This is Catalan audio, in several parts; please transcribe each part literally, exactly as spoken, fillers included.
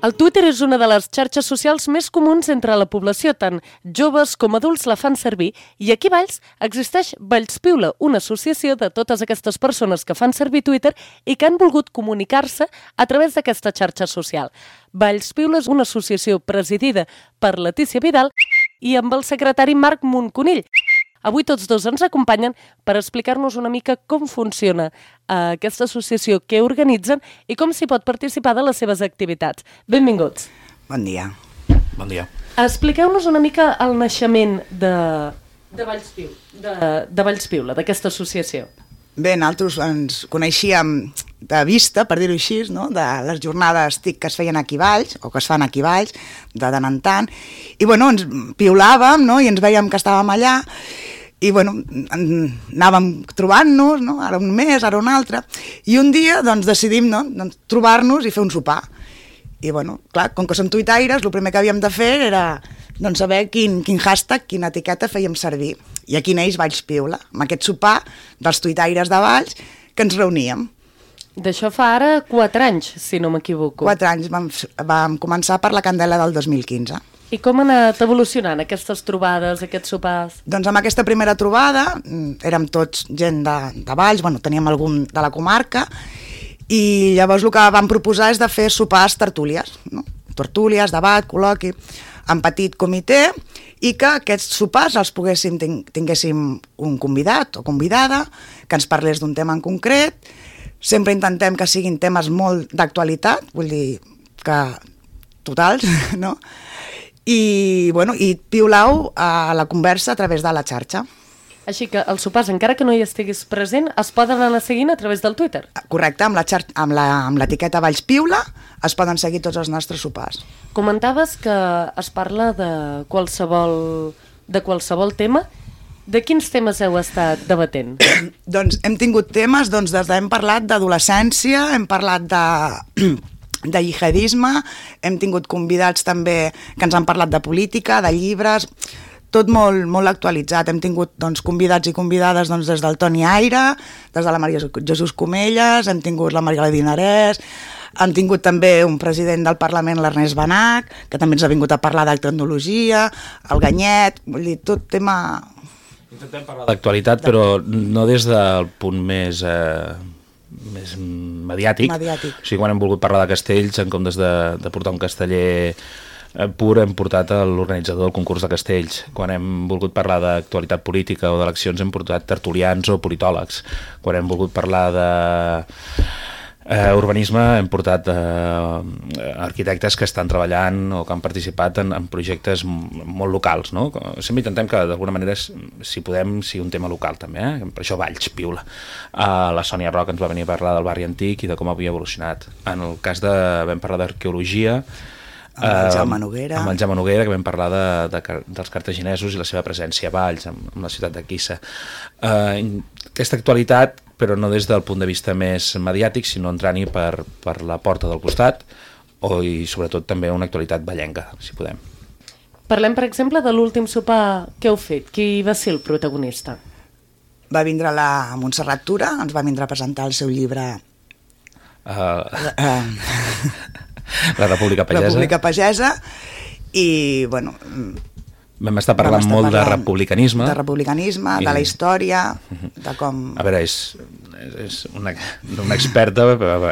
El Twitter és una de les xarxes socials més comuns entre la població, tant joves com adults la fan servir, i aquí a Valls existeix Valls Piula, una associació de totes aquestes persones que fan servir Twitter i que han volgut comunicar-se a través d'aquesta xarxa social. Valls Piula és una associació presidida per Letícia Vidal i amb el secretari Marc Monconill. Avui tots dos ens acompanyen per explicar-nos una mica com funciona uh, aquesta associació, què organitzen i com s'hi pot participar de les seves activitats. Benvinguts. Bon dia. Bon dia. Expliqueu-nos una mica el naixement de, de Valls Piula, de, de Valls Piula, d'aquesta associació. Bé, nosaltres ens coneixíem de vista, per dir-ho així, no? De les jornades TIC que es feien aquí a Valls, o que es fan aquí a Valls, de tant en tant, i bueno, ens piulàvem, no? I ens veiem que estàvem allà, i bueno, anàvem trobant-nos, no? Ara un mes, ara un altre, i un dia doncs, decidim, no? Doncs, trobar-nos i fer un sopar. I bueno, clar, com que som tuitaires, el primer que havíem de fer era doncs, saber quin, quin hashtag, quina etiqueta fèiem servir. I aquí neix Valls Piula, amb aquest sopar dels tuitaires de Valls que ens reuníem. D'això fa ara quatre anys, si no m'equivoco. Quatre anys, vam, vam començar per la candela del dos mil quinze. I com han anat evolucionant aquestes trobades, aquests sopars? Doncs amb aquesta primera trobada érem tots gent de, de Valls, bueno, teníem algun de la comarca, i llavors el que vam proposar és de fer sopars tertúlies, no? Tertúlies, debat, col·loqui, en petit comitè, i que aquests sopars els poguéssim, tinguéssim un convidat o convidada que ens parlés d'un tema en concret. Sempre intentem que siguin temes molt d'actualitat, vull dir que totals, no? I, bueno, i piulau a la conversa a través de la xarxa. Així que els sopars, encara que no hi estiguis present, es poden anar seguint a través del Twitter? Correcte, amb la xarxa, amb la, amb l'etiqueta Valls Piula es poden seguir tots els nostres sopars. Comentaves que es parla de qualsevol, de qualsevol tema. De quins temes heu estat debatent? Doncs hem tingut temes, doncs des de, hem parlat d'adolescència, hem parlat de... de jihadisme, hem tingut convidats també que ens han parlat de política, de llibres, tot molt, molt actualitzat. Hem tingut doncs, convidats i convidades doncs, des del Toni Aire, des de la Maria Jesús Comelles, hem tingut la Maria Dinarès, hem tingut també un president del Parlament, l'Ernest Benach, que també ens ha vingut a parlar de tecnologia, el Ganyet, vull dir, tot tema... Intentem parlar d'actualitat, però no des del punt més... Eh... més mediàtic. mediàtic. O sigui, quan hem volgut parlar de castells, en comptes de, de portar un casteller pur, hem portat l'organitzador del concurs de castells. Quan hem volgut parlar d'actualitat política o d'eleccions, hem portat tertulians o politòlegs. Quan hem volgut parlar de eh, urbanisme, hem portat eh, arquitectes que estan treballant o que han participat en, en projectes molt locals, no? Sempre intentem que d'alguna manera, si podem, sigui un tema local també, eh? Per això Valls Piula. Uh, la Sònia Roca ens va venir a parlar del barri antic i de com havia evolucionat. En el cas de... vam parlar d'arqueologia, amb el Jaume Noguera, amb el Jaume Noguera, que vam parlar de, de, dels cartaginesos i la seva presència a Valls, amb, amb la ciutat de Quissa. Uh, aquesta actualitat, però no des del punt de vista més mediàtic, sinó entrant-hi per, per la porta del costat, o, i sobretot també una actualitat vallenca, si podem. Parlem, per exemple, de l'últim sopar que heu fet. Qui va ser el protagonista? Va vindre la Montserrat Tura, ens va vindre a presentar el seu llibre... Uh, uh, la República Pagesa. República Pagesa, i, bueno... Vam estar parlant vam estar molt parlant de republicanisme. De republicanisme, I... de la història, de com... A veure, és, és una, una experta,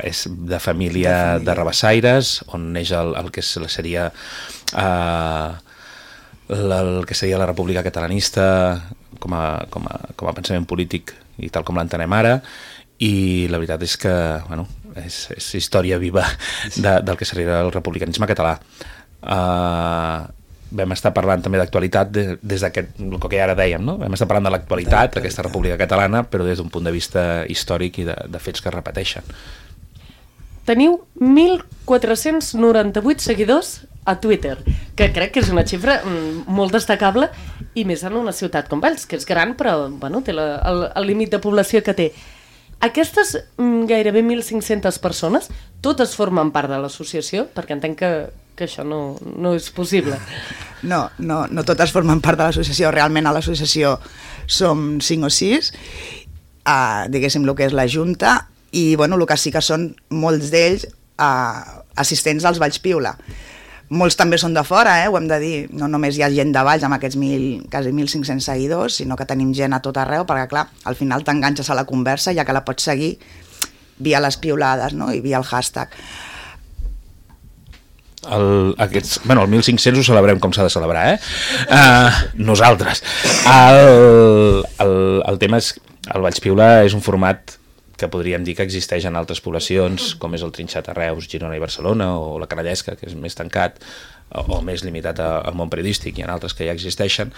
és de família de, de rabassaires, on neix el, el que seria uh, el que seria la República Catalanista com a, com a, com a pensament polític i tal com l'entenem ara, i la veritat és que, bueno, és, és història viva de, del que seria el republicanisme català. Uh, vam estar parlant també d'actualitat de, des d'aquest, el que ara dèiem, no? Vam estar parlant de l'actualitat d'aquesta República Catalana, però des d'un punt de vista històric i de, de fets que es repeteixen. Teniu mil quatre-cents noranta-vuit seguidors a Twitter, que crec que és una xifra molt destacable, i més en una ciutat com Valls, que és gran, però bueno, té la, el, el límit de població que té. Aquestes mm, gairebé mil cinc-centes persones, totes formen part de l'associació, perquè entenc que, que això no, no és possible. No, no, no totes formen part de l'associació. Realment a l'associació som cinc o sis, uh, diguéssim el que és la Junta, i bueno, el que sí que són molts d'ells uh, assistents als Valls Piula. Molts també són de fora, eh? Ho hem de dir, no només hi ha gent de Valls amb aquests mil, quasi mil cinc-cents seguidors, sinó que tenim gent a tot arreu, perquè clar, al final t'enganxes a la conversa ja que la pots seguir via les piulades, no? I via el hashtag. El, aquests, bueno, el mil cinc-cents ho celebrem com s'ha de celebrar, eh? Uh, nosaltres. El, el, el tema és, el Valls Piula és un format que podríem dir que existeix en altres poblacions, com és el Trinxat a Reus, Girona i Barcelona, o la Canallesca, que és més tancat, o, o més limitat al món periodístic, hi ha altres que ja existeixen,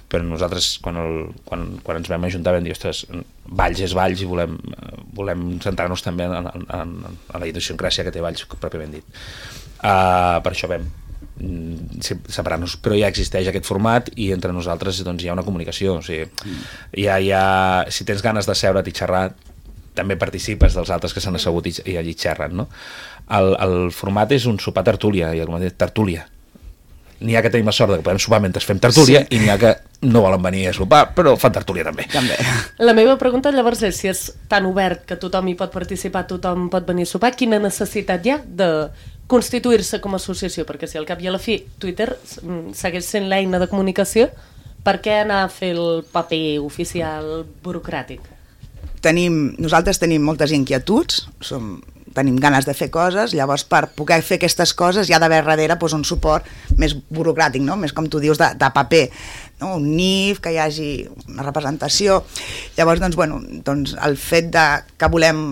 però nosaltres, quan, el, quan, quan ens vam ajuntar, vam dir, ostres, Valls és Valls i volem, volem centrar-nos també en, en, en, en la idiosincràsia que té Valls, pròpiament dit. Uh, per això vam separar-nos, però ja existeix aquest format i entre nosaltres doncs, hi ha una comunicació, o sigui, hi ha, hi ha, si tens ganes de seure't i xerrar, també participes dels altres que s'han assegut i, i allí xerren, no? El, el format és un sopar tertúlia, i com dit, tertúlia. N'hi ha que tenim la sort que podem sopar mentre fem tertúlia, sí. I n'hi ha que no volen venir a sopar, però fan tertúlia també. també. La meva pregunta llavors és, si és tan obert que tothom hi pot participar, tothom pot venir a sopar, quina necessitat hi ha de constituir-se com a associació? Perquè si al cap i a la fi Twitter segueix sent l'eina de comunicació, per què anar a fer el paper oficial burocràtic? Tenim, nosaltres tenim moltes inquietuds, som, tenim ganes de fer coses, llavors per poder fer aquestes coses hi ha d'haver darrere doncs, un suport més burocràtic, no? Més com tu dius, de, de paper, no? Un N I F, que hi hagi una representació. Llavors, doncs, bueno, doncs, el fet de que volem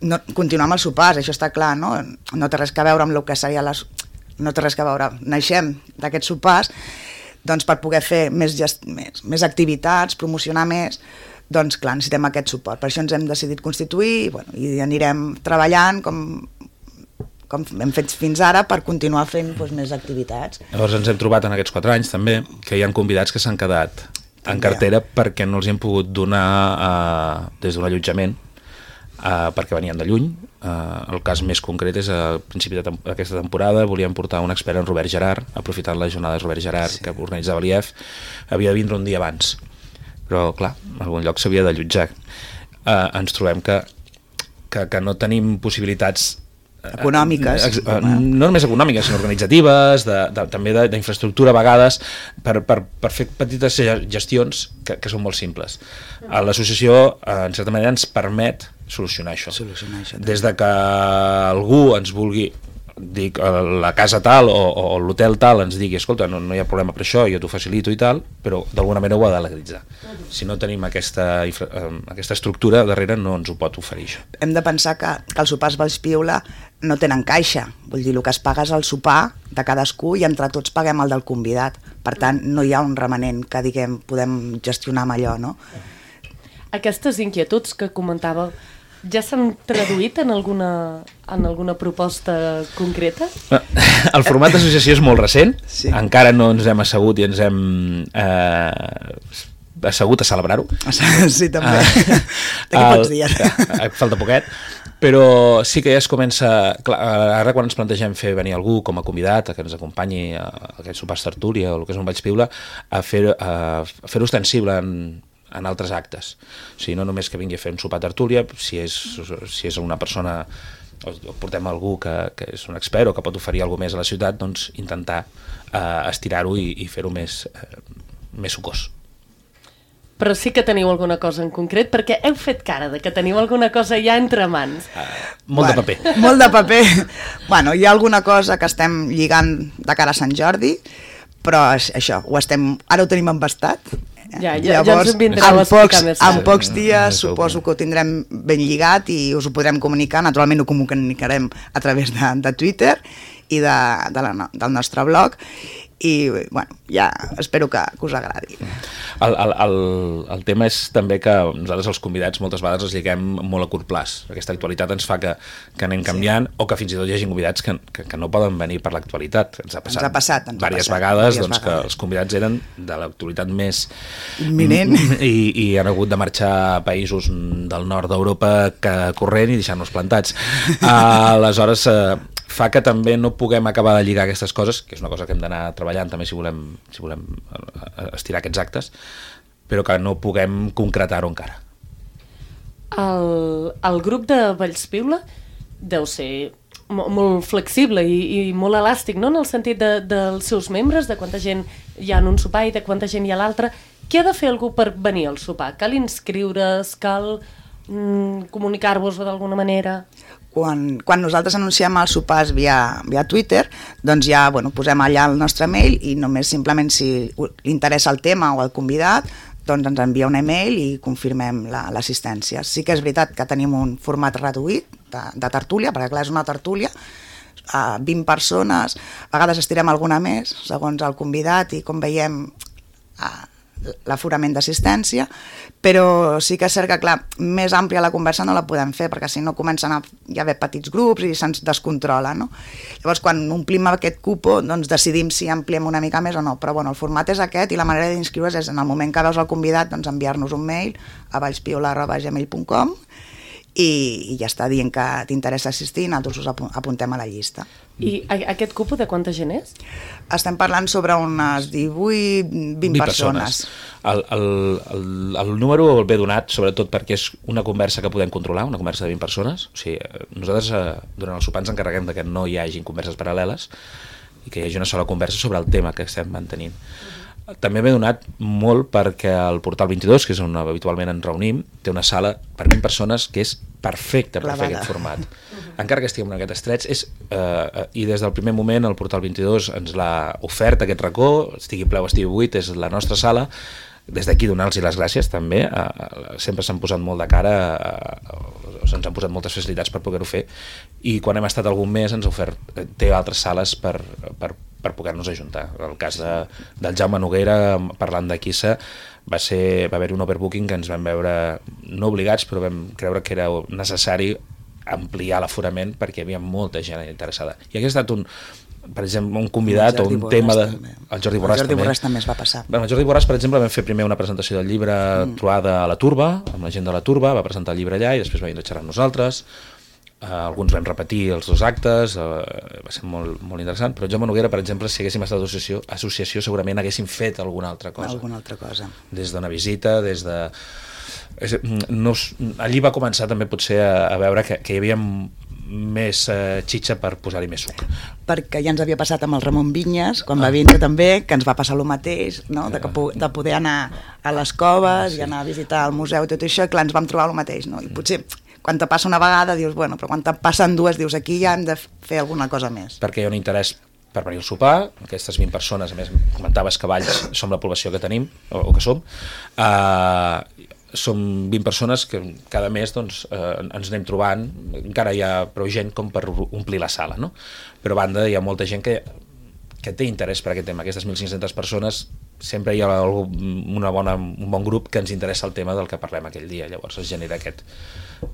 no, continuar amb els sopars, això està clar, no? No té res a veure amb el que seria les... No té res a veure, naixem d'aquests sopars, doncs per poder fer més, gest... més, més activitats, promocionar més, doncs clar, necessitem aquest suport. Per això ens hem decidit constituir i, bueno, i anirem treballant com, com hem fet fins ara per continuar fent doncs, més activitats. Llavors ens hem trobat en aquests quatre anys també que hi ha convidats que s'han quedat en cartera perquè no els hi hem pogut donar uh, des d'un allotjament uh, perquè venien de lluny. Uh, el cas més concret és a principi d'aquesta temporada volíem portar un expert en Robert Gerard, aprofitant les jornades Robert Gerard sí. Que organitzava l'I E F, havia de vindre un dia abans. Però, clar, en algun lloc s'havia d'allotjar. Uh, ens trobem que, que, que no tenim possibilitats... Uh, econòmiques. Uh, uh, no només econòmiques, sinó organitzatives, de, de, també d'infraestructura a vegades, per, per, per fer petites gestions que, que són molt simples. Uh, L'associació, uh, en certa manera, ens permet solucionar això. Solucionar això Des de que algú ens vulgui dic, la casa tal o, o l'hotel tal ens digui, escolta, no, no hi ha problema per això, jo t'ho facilito i tal, però d'alguna manera ho ha de legalitzar. Si no tenim aquesta, aquesta estructura darrere no ens ho pot oferir això. Hem de pensar que, que els sopars Valls Piula no tenen caixa, vull dir, el que es paga és el sopar de cadascú i entre tots paguem el del convidat, per tant no hi ha un remanent que diguem podem gestionar amb allò, no? Aquestes inquietuds que comentava ja s'han traduït en alguna, en alguna proposta concreta? El format d'associació és molt recent, sí. Encara no ens hem assegut i ens hem eh, assegut a celebrar-ho. Sí, també. Uh, D'aquí pocs dies. Falta poquet, però sí que ja es comença... Clar, ara quan ens plantegem fer venir algú com a convidat, a que ens acompanyi a aquest sopar tertúlia o el que és un Valls Piula, a fer-ho fer ostensible en en altres actes. O sigui, no només que vingui a fer un sopar tertúlia, si és, si és una persona, o portem algú que, que és un expert o que pot oferir alguna més a la ciutat, doncs intentar eh, estirar-ho i, i fer-ho més, eh, més sucós. Però sí que teniu alguna cosa en concret, perquè heu fet cara de que teniu alguna cosa ja entre mans. Uh, molt bueno, de paper. Molt de paper. Bueno, hi ha alguna cosa que estem lligant de cara a Sant Jordi, però això, ho estem, ara ho tenim embastat. Ja, ja, Llavors, ja ens en vindreu a explicar més. En pocs dies suposo que ho tindrem ben lligat i us ho podrem comunicar, naturalment ho comunicarem a través de, de Twitter i de, de la, del nostre blog i bueno, ja espero que, que us agradi. El, el, el, el tema és també que nosaltres els convidats moltes vegades els lliguem molt a curt plaç. Aquesta actualitat ens fa que, que anem canviant sí. O que fins i tot hi hagi convidats que, que, que no poden venir per l'actualitat. Ens ha passat, ens ha passat ens diverses ha passat, vegades doncs, vegades. Que els convidats eren de l'actualitat més imminent i, i han hagut de marxar a països del nord d'Europa corrent i deixar-nos plantats. Uh, aleshores uh, fa que també no puguem acabar de lligar aquestes coses, que és una cosa que hem d'anar treballant també si volem, si volem estirar aquests actes, però que no puguem concretar-ho encara. El, el grup de Valls Piula deu ser molt flexible i, i molt elàstic, no? En el sentit de, dels seus membres, de quanta gent hi ha en un sopar i de quanta gent hi ha a l'altre. Què ha de fer algú per venir al sopar? Cal inscriure's? Cal mm, comunicar-vos d'alguna manera? Quan, quan nosaltres anunciem els sopars via, via Twitter, doncs ja bueno, posem allà el nostre mail i només simplement si li interessa el tema o el convidat, doncs ens envia un email i confirmem l'assistència. La, sí que és veritat que tenim un format reduït de, de tertúlia, perquè clar, és una tertúlia, a vint persones, a vegades estirem alguna més, segons el convidat i com veiem l'aforament d'assistència, però sí que és cert que, clar, més àmplia la conversa no la podem fer, perquè si no comencen a hi haver petits grups i se'ns descontrola, no? Llavors, quan omplim aquest cupo, doncs decidim si ampliem una mica més o no, però bueno, el format és aquest i la manera d'inscriure's és en el moment que veus el convidat, doncs enviar-nos un mail a vallspiola arroba gmail punt com i, i ja està dient que t'interessa assistir i nosaltres us apuntem a la llista. I aquest cupo de quanta gent és? Estem parlant sobre unes divuit vint persones. El, el, el, el número el ve donat sobretot perquè és una conversa que podem controlar, una conversa de vint persones. O sigui, nosaltres eh, durant el sopar ens encarreguem de que no hi hagin converses paral·leles i que hi hagi una sola conversa sobre el tema que estem mantenint. Uh-huh. També m'he donat molt perquè el Portal vint-i-dos, que és on habitualment ens reunim, té una sala per vint persones que és perfecta per fer aquest format. Uh-huh. Encara que estiguem en aquest estrets, és, eh, i des del primer moment el Portal vint-i-dos ens l'ha ofert aquest racó, estigui ple o estigui buit, és la nostra sala. Des d'aquí donar-los les gràcies també, eh, sempre s'han posat molt de cara, eh, se'ns han posat moltes facilitats per poder-ho fer, i quan hem estat algun mes ens ha ofert, té altres sales per, per, per poder-nos ajuntar. El cas de, del Jaume Noguera, parlant de Quissa, va, ser, va haver-hi un overbooking que ens vam veure no obligats, però vam creure que era necessari ampliar l'aforament perquè hi havia molta gent interessada. I aquest ha estat un, per exemple, un convidat o un Borràs tema de... També. El Jordi Borràs, el Jordi també. Borràs també es va passar. Bueno, el Jordi Borràs, per exemple, vam fer primer una presentació del llibre mm. Trobada a la Turba, amb la gent de la Turba, va presentar el llibre allà i després va vindre a xerrar amb nosaltres. Uh, alguns vam repetir els dos actes, uh, va ser molt, molt interessant, però Jaume Noguera, per exemple, si haguéssim estat associació, associació segurament haguéssim fet alguna altra cosa. Alguna altra cosa. Des d'una visita, des de... És, no, allí va començar també potser a, a veure que, que hi havia més eh, xitxa per posar-hi més suc. Perquè ja ens havia passat amb el Ramon Vinyes, quan ah. va vindre també, que ens va passar el mateix, no? de, que, de poder anar a les coves sí. i anar a visitar el museu i tot això, clar, ens vam trobar el mateix. No? I potser quan te passa una vegada dius, bueno, però quan te passen dues dius, aquí ja hem de fer alguna cosa més. Perquè hi ha un interès per venir al sopar, aquestes vint persones, a més comentaves que Valls som la població que tenim, o, o que som, eh, som vint persones que cada mes doncs, eh, ens anem trobant, encara hi ha prou gent com per omplir la sala, no? Però a banda hi ha molta gent que, que té interès per aquest tema. Aquestes mil cinc-centes persones sempre hi ha una bona, un bon grup que ens interessa el tema del que parlem aquell dia, llavors es genera aquest,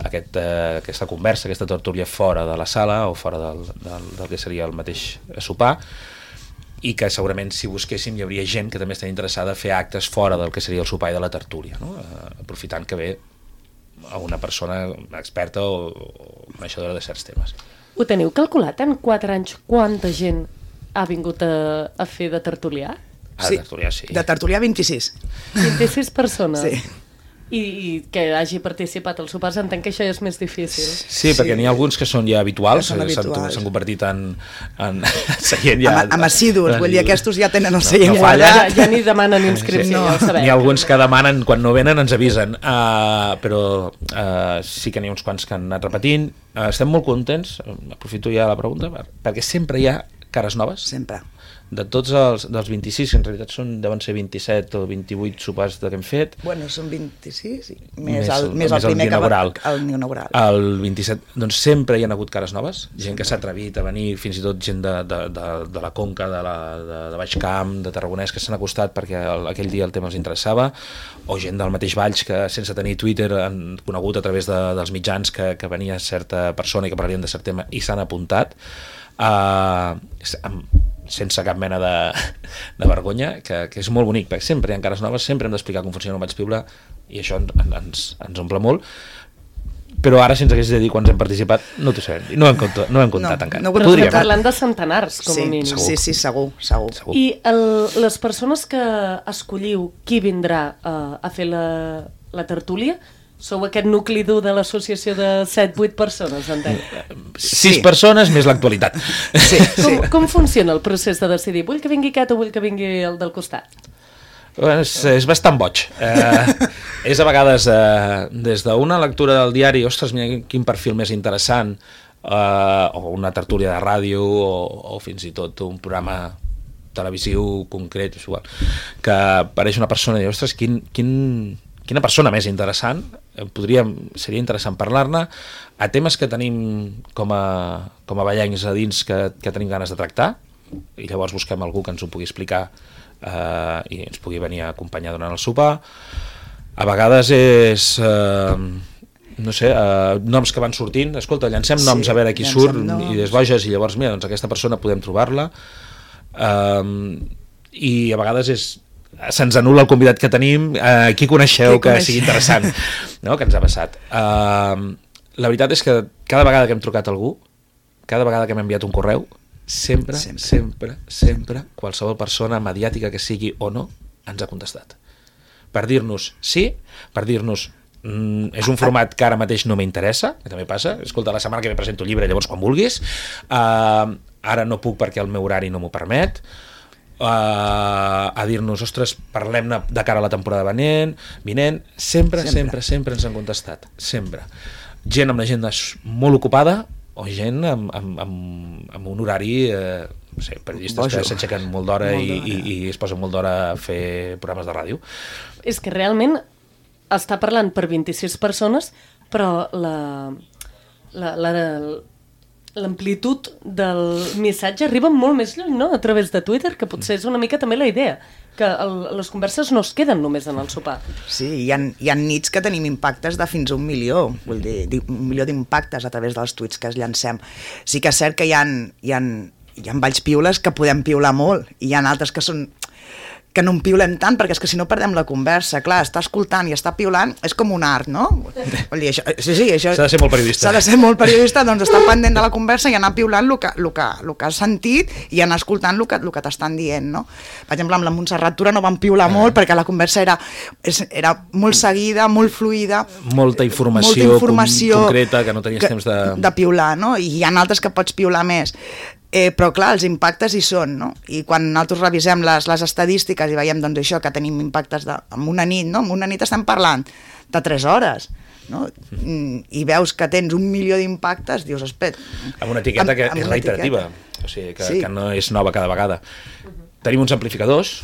aquest, eh, aquesta conversa, aquesta tertúlia fora de la sala o fora del, del, del que seria el mateix sopar, i que segurament si busquéssim hi hauria gent que també està interessada a fer actes fora del que seria el sopar i de la tertúlia, no? eh, aprofitant que ve a una persona experta o, o coneixedora de certs temes. Ho teniu calculat en quatre anys quanta gent ha vingut a, a fer de tertulià? Ah, sí, de tertulià, sí. De tertulià vint-i-sis. vint-i-sis persones? Sí. I, i que hagi participat als sopars, entenc que això és més difícil. Sí, sí, perquè n'hi ha alguns que són ja habituals, s'han convertit en, en seient ja... Amb, amb assidus, vull dir, aquests ja tenen el seient no, no guanyat. Ja, ja ni demanen inscripció, sí, ja ho sabem. N'hi ha alguns que demanen, quan no venen ens avisen, uh, però uh, sí que n'hi ha uns quants que han anat repetint. Uh, estem molt contents, aprofito ja la pregunta, perquè sempre hi ha cares noves. Sempre. De tots els dels vint-i-sis, que en realitat són, deuen ser vint-i-set o vint-i-vuit sopars que hem fet. Bueno, són vint-i-sis, sí. més, més, el, més el primer el inaugural. Que va, el inaugural. El vint-i-set, doncs sempre hi ha hagut cares noves, gent que s'ha atrevit a venir, fins i tot gent de, de, de, de la Conca, de, la, de, de Baix Camp, de Tarragonès, que s'han acostat perquè el, aquell dia el tema els interessava, o gent del mateix Valls que sense tenir Twitter han conegut a través de, dels mitjans que, que venia certa persona i que parlarien de cert tema i s'han apuntat. Uh, amb, sense cap mena de, de vergonya, que, que és molt bonic, perquè sempre hi ha cares noves, sempre hem d'explicar com funciona el Vallspiula i això ens, ens, ens omple molt, però ara si ens hagués de dir quants hem participat no t'ho sabem, no ho hem, comptat, no ho hem comptat no, encara. No, però estem parlant de centenars, com sí, a mínim. Segur. Sí, sí, segur, segur. segur. I el, les persones que escolliu qui vindrà uh, a fer la, la tertúlia, Sou aquest nucli dur de l'associació de set vuit persones, entenc. Sis Sí. persones més l'actualitat. Sí, sí. Com, com funciona el procés de decidir? Vull que vingui aquest o vull que vingui el del costat? És, és bastant boig. Eh, és a vegades eh, des d'una lectura del diari, ostres, mira quin perfil més interessant, eh, o una tertúlia de ràdio, o, o fins i tot un programa televisiu concret, és igual, que apareix una persona i diu, ostres, quin, quin, quina persona més interessant, podríem, seria interessant parlar-ne, a temes que tenim com a, com a ballencs a dins que, que tenim ganes de tractar, i llavors busquem algú que ens ho pugui explicar eh, i ens pugui venir a acompanyar durant el sopar. A vegades és eh, no sé, eh, noms que van sortint, escolta, llancem Sí, noms a veure qui llancem surt, noms. idees boges, i llavors mira, doncs aquesta persona podem trobar-la. Um, i a vegades és se'ns anul·la el convidat que tenim, uh, qui coneixeu Qui que coneixeu? sigui interessant, no? Que ens ha passat. Uh, la veritat és que cada vegada que hem trucat a algú, cada vegada que hem enviat un correu, sempre, sempre, sempre, sempre, qualsevol persona mediàtica que sigui o no, ens ha contestat. Per dir-nos sí, per dir-nos mm, és un format que ara mateix no m'interessa, que també passa, escolta, la setmana que ve presento el llibre, llavors quan vulguis, uh, ara no puc perquè el meu horari no m'ho permet, uh, a dir-nos, ostres, parlem-ne de cara a la temporada venent, vinent, sempre, sempre, sempre, sempre ens han contestat, sempre. Gent amb l'agenda molt ocupada o gent amb, amb, amb, amb un horari, eh, no sé, periodistes Bojo. que s'aixequen molt d'hora Molt i, d'hora. i, i es posen molt d'hora a fer programes de ràdio. És que realment està parlant per vint-i-sis persones, però la, la, la, l'amplitud del missatge arriba molt més lluny, no?, a través de Twitter, que potser és una mica també la idea, que el, les converses no es queden només en el sopar. Sí, hi ha, hi ha nits que tenim impactes de fins a un milió, vull dir, di- un milió d'impactes a través dels tuits que es llancem. Sí que és cert que hi ha, hi ha, hi ha balls piules que podem piular molt, i hi ha altres que són que no en piulem tant, perquè és que si no perdem la conversa. Clar, està escoltant i està piulant, és com un art, no? Vull dir, això, sí, sí, això... S'ha de ser molt periodista. S'ha de ser molt periodista, doncs estar pendent de la conversa i anar piulant el que, el que, el que has sentit i anar escoltant el que, el que t'estan dient, no? Per exemple, amb la Montserrat Tura no vam piular molt perquè la conversa era, és- era molt seguida, molt fluida, Molta informació, molta informació con- concreta que no tenies que- temps de... de piular, no? I hi ha altres que pots piular més. Eh, però clar, els impactes hi són, no? I quan nosaltres revisem les, les estadístiques i veiem doncs, això, que tenim impactes de, en una nit, no? En una nit estem parlant de tres hores, no? Mm, i veus que tens un milió d'impactes, dius, espera... Amb una etiqueta que amb és una reiterativa, etiqueta. o sigui, que, Sí. que no és nova cada vegada. Tenim uns amplificadors,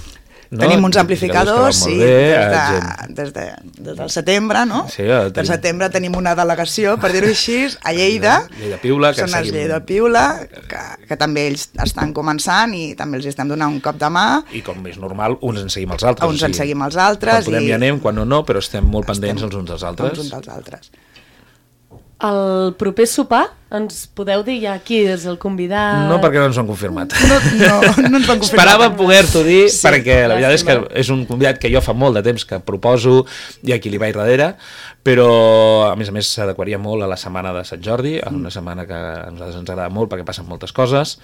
no? Tenim uns amplificadors, que sí, van molt bé, des, eh, de, gent- des, de, des del setembre, no? Sí, eh, Del tenim- setembre tenim una delegació, per dir-ho així, a Lleida. Lleida Piula, que Són els seguim- Lleida Piula, que, que també ells estan començant i també els estem donant un cop de mà. I com és normal, uns en seguim els altres. Uns en seguim els altres Quan podem i- hi anem, quan no, no, però estem molt pendents Estem els uns dels altres. Els uns dels altres. El proper sopar, ens podeu dir ja qui és el convidat? No, perquè no ens ho han confirmat. No, no, no ens van confirmar. Esperava poder-t'ho dir, Sí, perquè la veritat és que llàstima. és un convidat que jo fa molt de temps que proposo i a qui li vaig darrere, però a més a més s'adequaria molt a la setmana de Sant Jordi, a una setmana que a nosaltres ens agrada molt perquè passen moltes coses,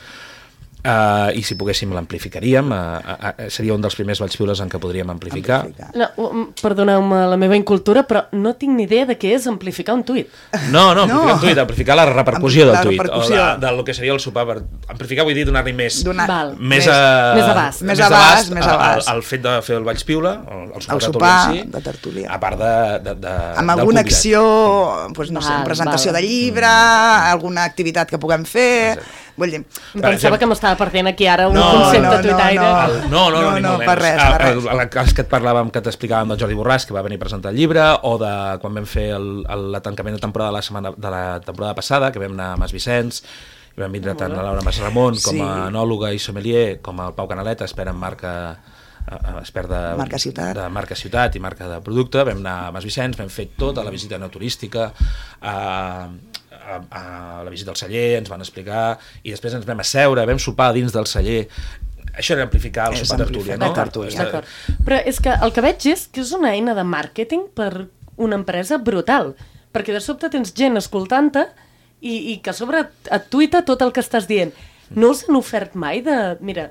uh, i si poguéssim l'amplificaríem, uh, uh, uh, seria un dels primers Valls Piules en què podríem amplificar. Amplificar. No, um, perdoneu-me la meva incultura, però no tinc ni idea de què és amplificar un tuit. No, no, amplificar No. un tuit, amplificar la repercussió La del tuit, repercussió. o de, del que seria el sopar. Per... Amplificar vull dir donar-li més... Donar- Val. Més, Més- a, més abast. Més abast, més a- abast. al, al fet de fer el Valls Piula, el, el sopar, El de sopar tertúlia en si, de tertúlia. a part de, de, de, Amb del alguna convidat. acció, doncs, no sé, Val, presentació val. de llibre, alguna activitat que puguem fer... Vull dir, Em Per pensava exemple- que m'estava perdent aquí ara un No, concepte no, no, tuitaire. no. El, no, no, no, No, ni no, molt per menys. res, El- per el- res. el cas que et parlàvem, que t'explicàvem del Jordi Borràs, que va venir a presentar el llibre, o de quan vam fer el, el, el tancament de temporada de la, setmana, de la temporada passada, que vam anar a Mas Vicenç, i vam vindre tant la Laura Mas Ramon com Sí. a enòloga i sommelier, com el Pau Canaleta, expert en marca eh, expert de Marca Ciutat. de marca ciutat i marca de producte. Vam anar a Mas Vicenç, vam fer tota la visita no turística, a, a, a la visita al celler, ens van explicar, i després ens vam asseure, vam sopar dins del celler. Això era amplificar el És sopar tertúlia, amplificar no? la tertúlia. D'acord. Però és que el que veig és que és una eina de màrqueting per una empresa brutal, perquè de sobte tens gent escoltant-te i, i que a sobre et tuita tot el que estàs dient. No us han ofert mai de... Mira,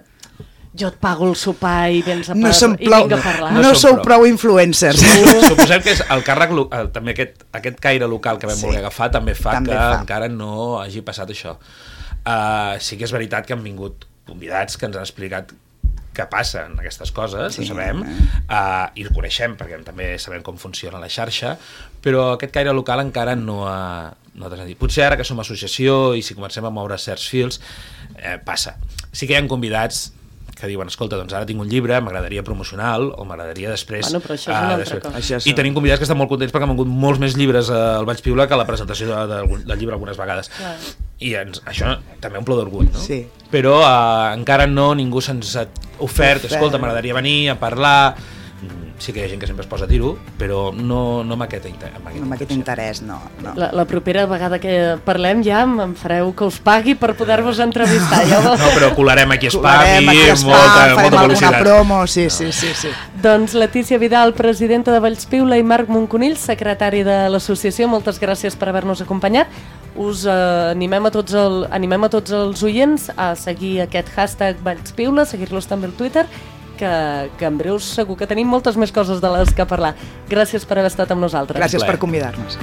jo et pago el sopar i vens a, par... no som i prou, vinc a parlar. no, No no som sou prou. prou influencers. Suposem que és el càrrec, lo- el, també aquest, aquest caire local que vam Sí. voler agafar també fa També que fa. encara no hagi passat això. Uh, sí que és veritat que han vingut convidats que ens han explicat què passa en aquestes coses, sí, ho sabem, uh, i ho coneixem perquè també sabem com funciona la xarxa, però aquest caire local encara no ha, no ha transcendit. Potser ara que som associació i si comencem a moure certs fils, eh, passa. Sí que hi ha convidats que diuen, escolta, doncs ara tinc un llibre, m'agradaria promocionar-lo, o m'agradaria després... Bueno, però això és una uh, altra cosa. Això és- I tenim convidats que estan molt contents perquè han vengut molts més llibres al Valls Piula que a la presentació de, de, del llibre algunes vegades. Clar. I ens, això també omple d'orgull, no? Sí. Però uh, encara no, ningú se'ns ha ofert, Ofert. escolta, m'agradaria venir a parlar... Mm, sí que hi ha gent que sempre es posa a dir-ho, però no, no amb aquest, inter amb aquest, Amb aquest interès, no. no. La, la propera vegada que parlem ja em fareu que us pagui per poder-vos entrevistar. Ja ho... No, però colarem aquí a Spam Colarem i aquí a Spam, molta, farem molta alguna publicitat. promo, sí, sí, sí, sí. Doncs Letícia Vidal, presidenta de Vallspiula, i Marc Monconill, secretari de l'associació, moltes gràcies per haver-nos acompanyat. Us eh, animem, a tots el, animem a tots els oients a seguir aquest hashtag Vallspiula, seguir-los també al Twitter, que, que en breu segur que tenim moltes més coses de les que parlar. Gràcies per haver estat amb nosaltres. Gràcies plaer. per convidar-nos.